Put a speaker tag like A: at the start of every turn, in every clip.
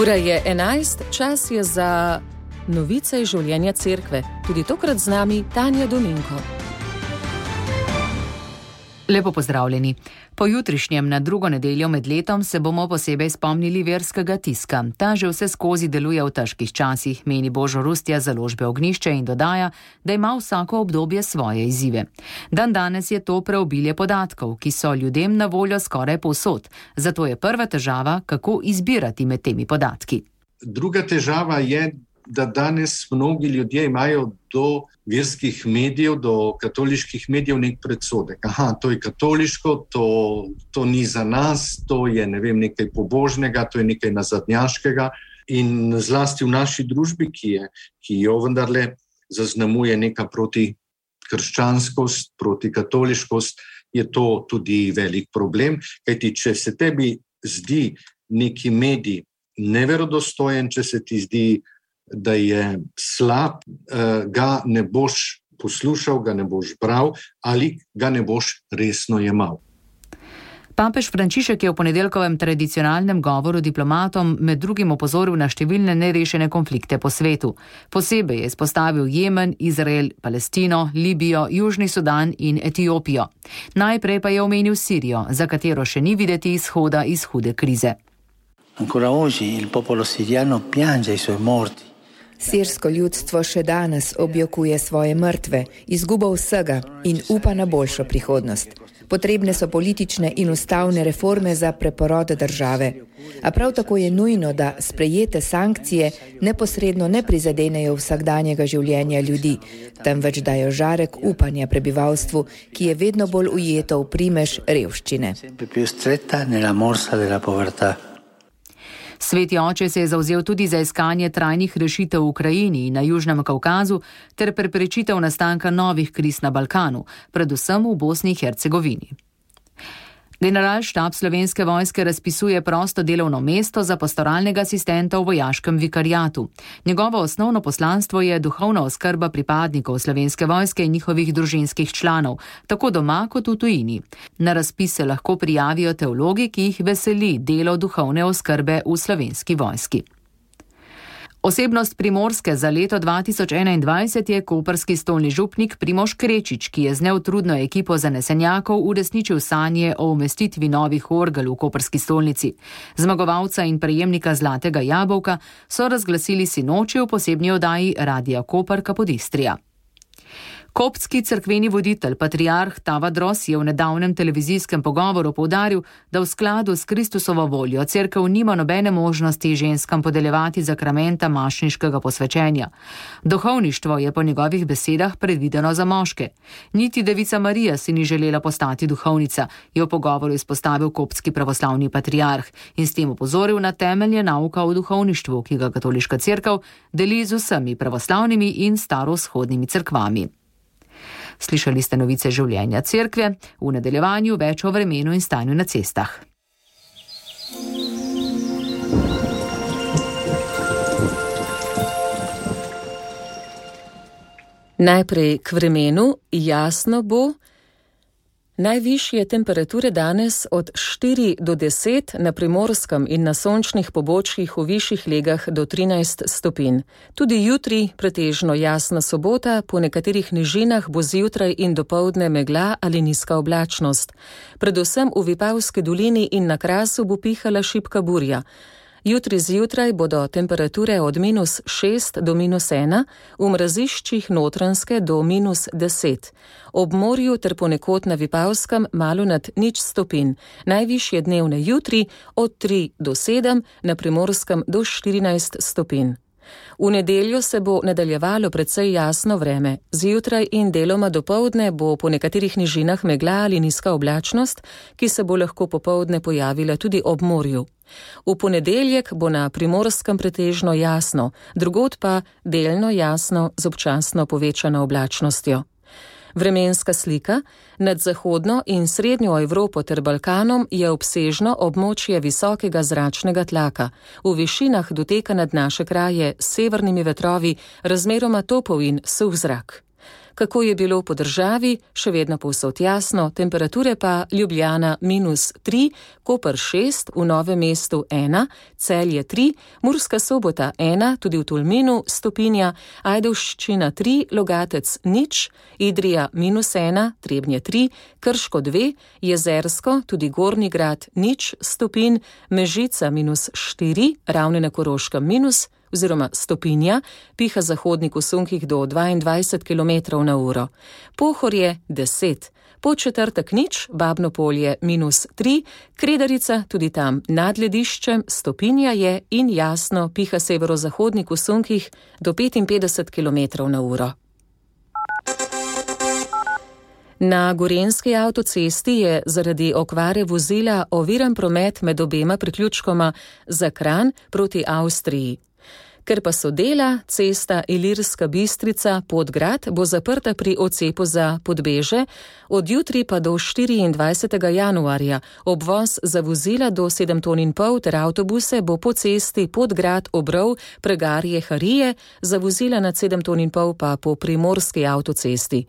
A: Ura je 11, čas je za novice iz življenja cerkve. Tudi tokrat z nami Tanja Dominko.
B: Lepo pozdravljeni. Po jutrišnjem na drugo nedeljo med letom se bomo posebej spomnili verskega tiska. Ta že vse skozi deluje v težkih časih, meni Božo Rustja založbe Ognjišče in dodaja, da ima vsako obdobje svoje izzive. Dandanes je to preobilje podatkov, ki so ljudem na voljo skoraj povsod. Zato je prva težava, kako izbirati med temi podatki.
C: Druga težava je, da danes mnogi ljudje imajo do verskih medijev, do katoliških medijev nek predsodek. To je katoliško, to ni za nas, to je nekaj pobožnega, to je nekaj nazadnjaškega. In zlasti v naši družbi, ki jo vendarle zaznamuje neka protikrščanskost, protikatoliškost, je to tudi velik problem. Kajti, če se tebi zdi neki medij neverodostojen, če se ti zdi, da je slab, ga ne boš poslušal, ga ne boš bral ali ga ne boš resno jemal.
B: Papež Frančišek je v ponedeljkovem tradicionalnem govoru diplomatom med drugim opozoril na številne nerešene konflikte po svetu. Posebej je izpostavil Jemen, Izrael, Palestino, Libijo, Južni Sudan in Etiopijo. Najprej pa je omenil Sirijo, za katero še ni videti izhoda iz hude krize.
D: Ancora oggi il popolo siriano piange i suoi morti.
E: Sirsko ljudstvo še danes objokuje svoje mrtve, izgubo vsega in upa na boljšo prihodnost. Potrebne so politične in ustavne reforme za preporod države. A prav tako je nujno, da sprejete sankcije neposredno ne prizadenejo vsakdanjega življenja ljudi, temveč dajo žarek upanja prebivalstvu, ki je vedno bolj ujeto v primež revščine.
B: Sveti oče se je zavzel tudi za iskanje trajnih rešitev v Ukrajini in na Južnem Kavkazu ter preprečitev nastanka novih kriz na Balkanu, predvsem v Bosni in Hercegovini. Generalštab Slovenske vojske razpisuje prosto delovno mesto za pastoralnega asistenta v vojaškem vikariatu. Njegovo osnovno poslanstvo je duhovna oskrba pripadnikov Slovenske vojske in njihovih družinskih članov, tako doma kot v tujini. Na razpis se lahko prijavijo teologi, ki jih veseli delo duhovne oskrbe v Slovenski vojski. Osebnost Primorske za leto 2021 je koprski stolni župnik Primož Krečič, ki je z neutrudno ekipo zanesenjakov uresničil sanje o umestitvi novih orgel v koprski stolnici. Zmagovalca in prejemnika Zlatega jabolka so razglasili sinoči v posebni oddaji Radia Koper Kapodistrija. Koptski cerkveni voditelj, patriarh Tavadros, je v nedavnem televizijskem pogovoru poudaril, da v skladu s Kristusovo voljo cerkev nima nobene možnosti ženskam podeljevati zakramenta mašniškega posvečenja. Duhovništvo je po njegovih besedah predvideno za moške. Niti devica Marija si ni želela postati duhovnica, je v pogovoru izpostavil koptski pravoslavni patriarh in s tem opozoril na temelje nauka o duhovništvu, ki ga katoliška cerkev deli z vsemi pravoslavnimi in starovzhodnimi cerkvami. Slišali ste novice življenja cerkve, v nadaljevanju več o vremenu in stanju na cestah.
A: Najprej k vremenu. Jasno bo. Najvišje temperature danes od 4 do 10, na Primorskem in na sončnih pobočjih v višjih legah do 13 stopinj. Tudi jutri pretežno jasna sobota, po nekaterih nižinah bo zjutraj in dopoldne megla ali nizka oblačnost. Predvsem v Vipavski dolini in na Krasu bo pihala šibka burja. Jutri zjutraj bodo temperature od -6 do -1, v mraziščih Notranjske do -10. Ob morju ter ponekod na Vipavskem malo nad 0 stopinj. Najvišje dnevne jutri od 3 do 7, na Primorskem do 14 stopinj. V nedeljo se bo nadaljevalo precej jasno vreme. Zjutraj in deloma dopoldne bo po nekaterih nižinah megla ali nizka oblačnost, ki se bo lahko popoldne pojavila tudi ob morju. V ponedeljek bo na Primorskem pretežno jasno, drugod pa delno jasno z občasno povečano oblačnostjo. Vremenska slika. Nad zahodno in srednjo Evropo ter Balkanom je obsežno območje visokega zračnega tlaka. V višinah doteka nad naše kraje s severnimi vetrovi razmeroma topel in suh zrak. Kako je bilo po državi, še vedno povsod jasno, temperature pa Ljubljana -3, Koper 6, v Novem mestu 1, Celje 3, Murska Sobota 1, tudi v Tolminu stopinja, Ajdovščina 3, Logatec 0, Idrija -1, Trebnje 3, Krško 2, Jezersko, tudi Gornji Grad 0 stopinj, Mežica -4, Ravne na Koroškem oziroma stopinja, piha zahodnik v sunkih do 22 km/h. Pohorje 10, Podčetrtek 0, Babno Polje -3, Kredarica, tudi tam nad lediščem, stopinja je in jasno, piha severozahodnik v sunkih do 55 km/h. Na Gorenjski avtocesti je zaradi okvare vozila oviran promet med obema priključkoma za Kranj proti Avstriji. Ker pa so dela, cesta Ilirska Bistrica-Podgrad bo zaprta pri odcepu za Podbeže, od jutri pa do 24. januarja. Obvoz za vozila do 7,5 ton ter avtobuse bo po cesti Podgrad-Obrov Pregarje-Harije, za vozila nad 7,5 ton pa po primorski avtocesti.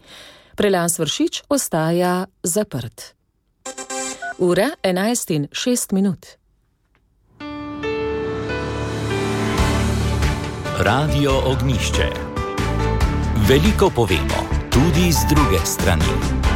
A: Prelaz Vršič ostaja zaprt. Ura 11:06.
F: Radio Ognjišče. Veliko povemo, tudi z druge strani.